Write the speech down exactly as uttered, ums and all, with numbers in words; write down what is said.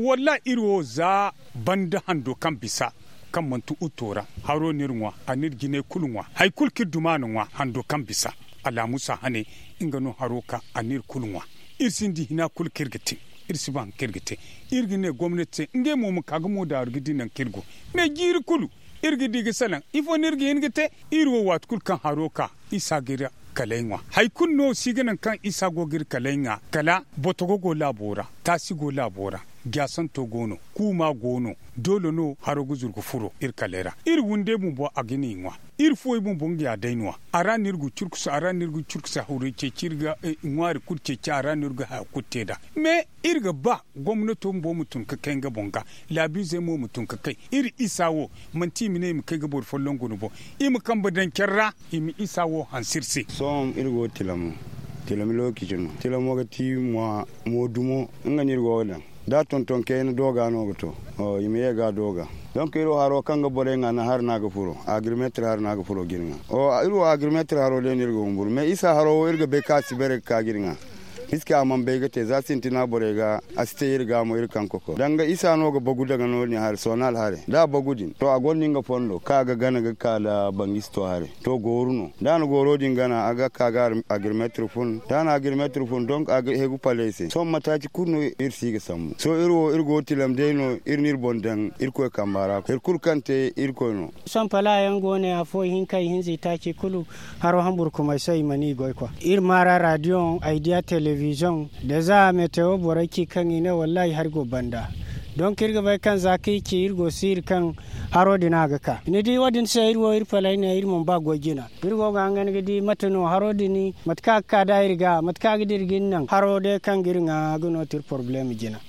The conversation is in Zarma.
Wallahi iri wo za banda hando kaŋ bisa, kaŋ manti utto ra, haro no iri ŋwa, a n'iri jinay kulu ŋwa, hari kulu kaŋ iri duma a na ŋwa hando kaŋ bisa. Alaamusa hane, nga no haro ka a n'iri kulu ŋwa. Iri sinda hina kulu kaŋ iri ga te. Iri si ba hari kaŋ iri ga te. Iri ga ne gomnati se ngey mo ma ka ga moodaaru ga di nangu kaŋ iri go. Me jiiri kulu iri ga di ga salaŋ ifo no iri ga hin ga te. Iri wo waati kulu kaŋ haro ka isa ga iri kalay ŋwa. Hari kulu no si ga naŋ kaŋ isa go ga iri kalay ŋwa, kala botogo go laabo ra, taasi go laabo ra, jaasanto go no, kuuma go no. Doole no haro ga zuru ga furo iri kalay ra. Iri wunday bumbo a ga ni ŋwa. Iri fuwey bumbo nga ya day no- ya. A ra no iri ga curkusa a ra no iri ga curkusa hawray ceeci iri ga ŋwaari kulu ceeci a ra no iri ga haya kulu te nd'a. Me iri ga ba gomnato bumbo ma tun ga kay nga boŋ ga, laabiizey mo ma tun ga kay. Iri isa wo manti i ma ne i ma kay ga boro folloŋ guna boŋ. I ma kambe daŋ care ra, i ma isa wo hanse iri se. Sohõ iri go ga tilam no. Tilam lookaci no. Tilamo ga ti mo dumo. Nga no iri go ga daŋ da tonton kayna dooga no ga to. I ma ye ga dooga. Donk iri wo haro kaŋ ga borey ŋwa naŋ hari no a ga furo. Agrimeetir hari no a ga furo ga iri ŋwa. Iri wo agrimeetir haro day no iri ga humburu me isa haro wo iri ga bay kaŋ a si bare ga ka ga iri ŋwa. Hiske a mana bay ga te za sintina borey ga a si te iri ga mo iri kaŋ kokoro danga isa no ga bagu daga no- din hari soonal hare da a bagu din to a gonda nga fondo kaŋ a ga gana ga ka nda bangisto hare. To gooru no da a na gooro din gana a ga ka ga agrimeetir fun da a na agrimeetir fun donk a ga hegu paley se sohõ mataaci kulu no iri si ga sambu sohõ iri wo iri go ga tilam day no iri na iri boŋ daŋ irkoy kamba ra hari kulu kaŋ te irkoy no. Sohõ pala yaŋ go no afo ihinka ihinza itaaci kulu. Haro hamburkumay se i mana i goy kwa iri maara radiyoŋ aydiya telebizoŋ da za metewo borey ci kaŋ i ne wallaahi hari go banda. Donk iri ga bay kaŋ za kaŋ i ci iri go siiri kaŋ haro din a ga ka ni di wo- din se iri wo iri palay ne iri mana ba goy jina. Iri go ga hangan ga di mate no haro din mate kaŋ a ga ka nd'a iri ga mate kaŋ a ga dira ga iri naŋ haro day kaŋ ga iri ŋwa ga no ti iri porobalem jina.